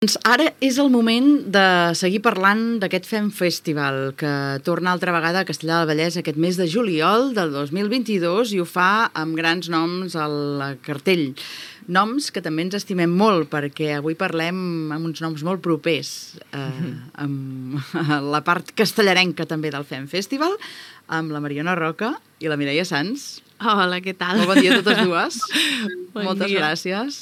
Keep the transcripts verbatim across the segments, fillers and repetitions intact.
Doncs ara és el moment de seguir parlant d'aquest Fem Festival, que torna altra vegada a Castellar del Vallès aquest mes de juliol del dos mil vint-i-dos i ho fa amb grans noms al cartell. Noms que també ens estimem molt, perquè avui parlem amb uns noms molt propers, eh, amb la part castellarenca també del Fem Festival, amb la Mariona Roca i la Mireia Sans. Hola, què tal? Molt bon dia a totes dues. Bon Moltes dia. gràcies.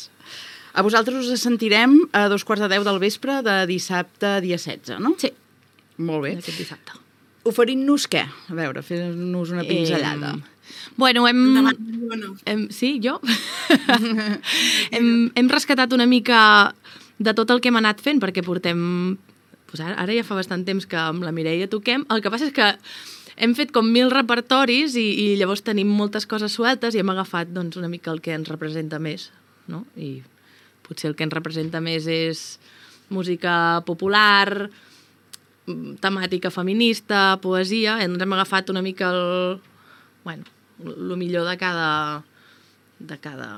A vosaltres us sentirem a dos quarts de deu del vespre de dissabte, dia setze, no? Sí. Molt bé. Aquest dissabte. Oferint-nos què? A veure, fent-nos una pinzellada. Eh, bueno, hem... hem sí, jo? hem, hem rescatat una mica de tot el que hem anat fent, perquè portem... Pues ara, ara ja fa bastant temps que amb la Mireia toquem. El que passa és que hem fet com mil repertoris i, i llavors tenim moltes coses sueltes i hem agafat doncs, una mica el que ens representa més, no? I potser el que ens representa més és música popular, temàtica feminista, poesia. Ens hem agafat una mica el, bueno, el millor de cada de cada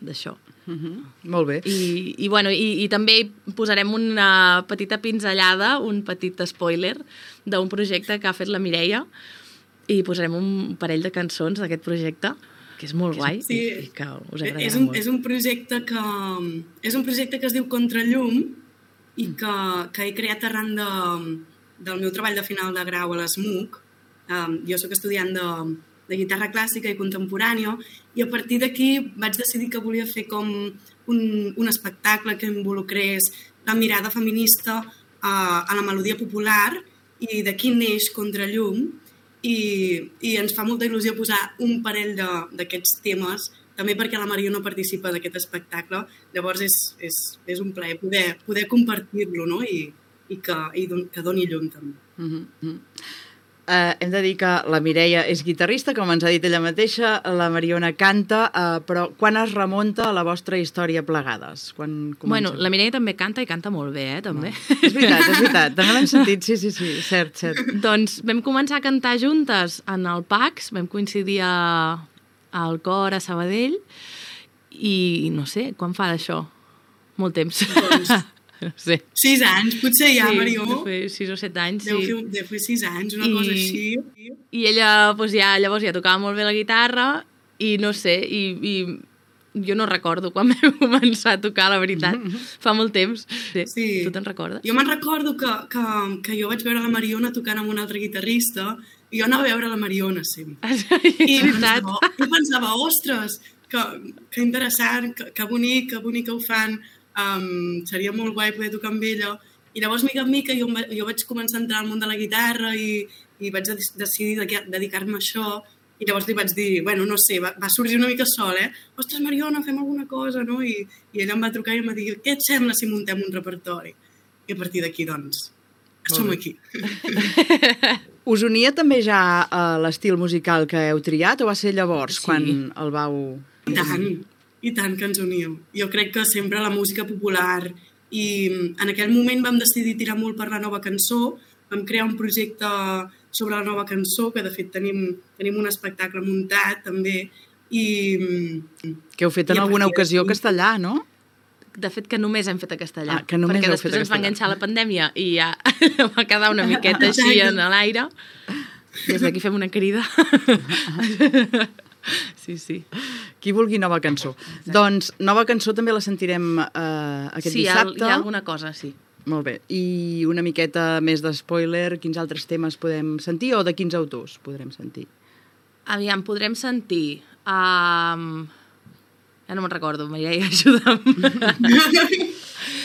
d'això. Uh-huh. Molt bé. I, i, bueno, i, i també posarem una petita pinzellada, un petit spoiler d'un projecte que ha fet la Mireia i posarem un parell de cançons d'aquest projecte que és molt guai sí. i, i que us agradarà és un, molt. És un projecte que és un projecte que es diu Contrallum i que, que he creat arran de, del meu treball de final de grau a l'ESMUC. Um, jo sóc estudiant de, de guitarra clàssica i contemporània i a partir d'aquí vaig decidir que volia fer com un, un espectacle que involucrés la mirada feminista uh, a la melodia popular i d'aquí neix Contrallum. I, i ens fa molta il·lusió posar un parell d'aquests temes, també perquè la Mariona participa d'aquest espectacle, llavors és, és, és un plaer poder, poder compartir-lo, no? I, i, que, i don, que doni llum també. Uh-huh. Uh, hem de dir que la Mireia és guitarrista, com ens ha dit ella mateixa, la Mariona canta, uh, però quan es remunta a la vostra història plegades? Quan bueno, la Mireia també canta i canta molt bé, eh, també. No. És veritat, és veritat, també l'hem sentit, sí, sí, sí, cert, cert. Doncs vam començar a cantar juntes en el PACS, vam coincidir a, al cor a Sabadell i no sé, quan fa d'això? Molt temps. Doncs... No sé. Sis anys, potser ja, sí, Marió. Deu fer sis o set anys, deu sí. Fer, deu fer sis anys, una I, cosa així. I ella, doncs ja, llavors ja tocava molt bé la guitarra i no sé, i, i jo no recordo quan vam començar a tocar, la veritat. Fa molt temps. Sí. Sí. Tu te'n recordes? Jo me'n recordo que, que, que jo vaig veure la Mariona tocant amb un altre guitarrista i jo anava a veure la Mariona sempre. Ah, sí, I pensava, jo pensava, ostres, que, que interessant, que, que bonic, que bonic que ho fan. Um, seria molt guai poder tocar amb ella i llavors mica en mica jo, jo vaig començar a entrar al món de la guitarra i, i vaig decidir dedicar-me a això i llavors li vaig dir, bueno, no sé, va, va sorgir una mica sol, eh? Ostres, Mariona, fem alguna cosa, no? I, i ella em va trucar i em va dir, què et sembla si muntem un repertori? I a partir d'aquí, doncs, som aquí. Us unia també ja uh, l'estil musical que heu triat o va ser llavors sí. quan el vau... I tant. I tant que ens uníem. Jo crec que sempre la música popular i en aquell moment vam decidir tirar molt per la nova cançó, vam crear un projecte sobre la nova cançó, que de fet tenim, tenim un espectacle muntat també i... Que heu fet en alguna ocasió a castellà, no? De fet que només hem fet a castellà, ah, que només perquè heu després fet ens va enganxar la pandèmia i ja va quedar una miqueta així en l'aire. Des d'aquí fem una crida. Sí, sí. Qui vulgui nova cançó. Exacte. Doncs nova cançó també la sentirem uh, aquest sí, dissabte. Sí, hi ha alguna cosa, sí. Molt bé. I una miqueta més de spoiler, quins altres temes podem sentir o de quins autors podrem sentir? Aviam, podrem sentir... Um... Ja no me'n recordo, Mireia, ajuda'm.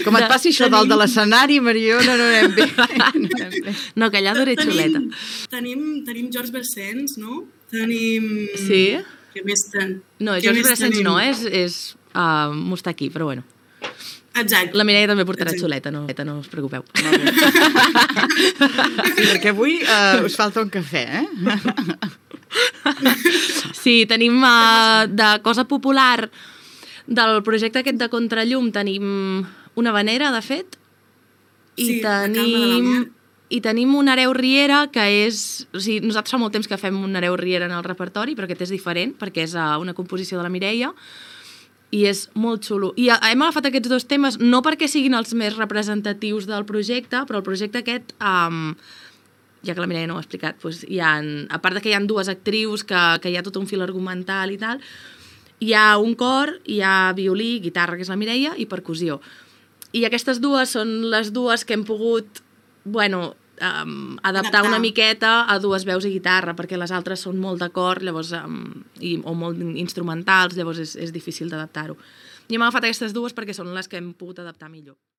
Com et passi això dalt de l'escenari, Mariona, no anem bé. No, que allà d'hora xuleta. Tenim, tenim George Brassens, no? Tenim... Sí? Què més ten... No, George Brassens no, és, és uh, Mustaki, però bueno. Exacte. La Mireia també portarà xuleta, no, no us preocupeu. Sí, perquè avui uh, us falta un cafè, eh? Sí, tenim uh, de cosa popular del projecte aquest de Contrallum tenim una vanera, de fet, i sí, tenim... I tenim un Hereu Riera, que és... O sigui, nosaltres fa molt temps que fem un Hereu Riera en el repertori, però aquest és diferent, perquè és una composició de la Mireia. i és molt xulo. I hem agafat aquests dos temes no perquè siguin els més representatius del projecte, però el projecte aquest, um, ja que la Mireia no ho ha explicat, doncs hi ha, a part de que hi ha dues actrius, que, que hi ha tot un fil argumental i tal, hi ha un cor, hi ha violí, guitarra, que és la Mireia, i percussió. I aquestes dues són les dues que hem pogut, bueno, Um, adaptar, adaptar una miqueta a dues veus i guitarra, perquè les altres són molt de cor, llavors, um, i, o molt instrumentals, llavors és, és difícil d'adaptar-ho. I hem agafat aquestes dues perquè són les que hem pogut adaptar millor.